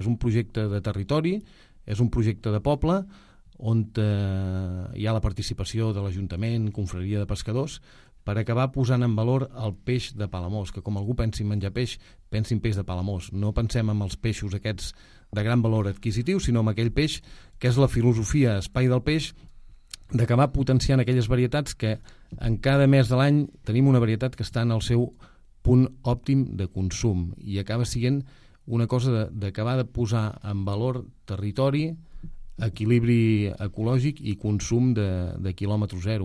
És un projecte de territori, és un projecte de poble, on hi ha la participació de l'Ajuntament, Confraria de Pescadors, per acabar posant en valor el peix de Palamós, que com algú pensi en menjar peix, pensi en peix de Palamós. No pensem en els peixos aquests de gran valor adquisitiu, sinó en aquell peix que és la filosofia espai del peix, d'acabar potenciant aquelles varietats que en cada mes de l'any tenim una varietat que està en el seu punt òptim de consum i acaba sent una cosa d'acabar de posar en valor territori, equilibri ecològic i consum de quilòmetre zero.